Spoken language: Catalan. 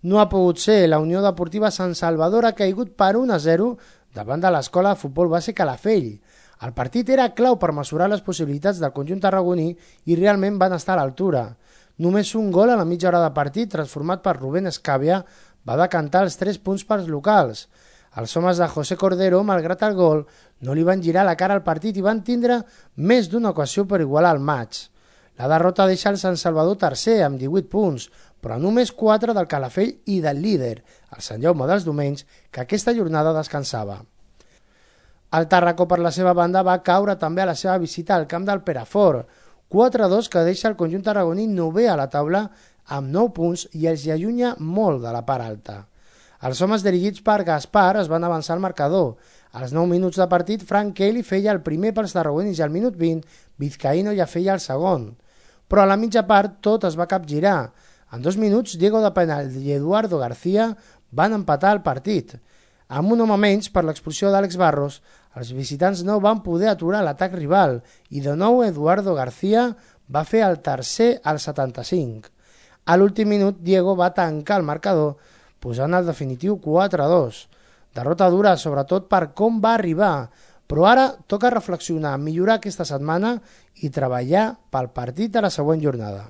No ha pogut ser. La Unió Deportiva Sant Salvador ha caigut per 1-0 davant de l'Escola de Futbol Base Calafell. El partit era clau per mesurar les possibilitats del conjunt tarragoní i realment van estar a l'altura. Només un gol a la mitja hora de partit, transformat per Rubén Escàvia, va decantar els 3 punts pels locals. Els homes de José Cordero, malgrat el gol, no li van girar la cara al partit i van tindre més d'una ocasió per igualar el maig. La derrota deixa el Sant Salvador tercer amb 18 punts, però només 4 del Calafell i del líder, el Sant Jaume dels Domenys, que aquesta jornada descansava. El Tàrraco, per la seva banda, va caure també a la seva visita al camp del Perafort, 4-2 que deixa el conjunt tarragoní novè a la taula amb 9 punts i els hi allunya molt de la part alta. Els homes dirigits per Gaspar es van avançar al marcador. Als 9 minuts de partit, Frank Kelly feia el primer pels tarragonis i al minut 20, Vizcaíno ja feia el segon. Però a la mitja part tot es va capgirar. En 2 minuts, Diego de Penal i Eduardo García van empatar el partit. Amb un home menys per l'expulsió d'Àlex Barros, els visitants no van poder aturar l'atac rival i de nou Eduardo García va fer el tercer al 75. A l'últim minut, Diego va tancar el marcador, posant el definitiu 4-2. Derrota dura, sobretot per com va arribar, però ara toca reflexionar, millorar aquesta setmana i treballar pel partit de la següent jornada.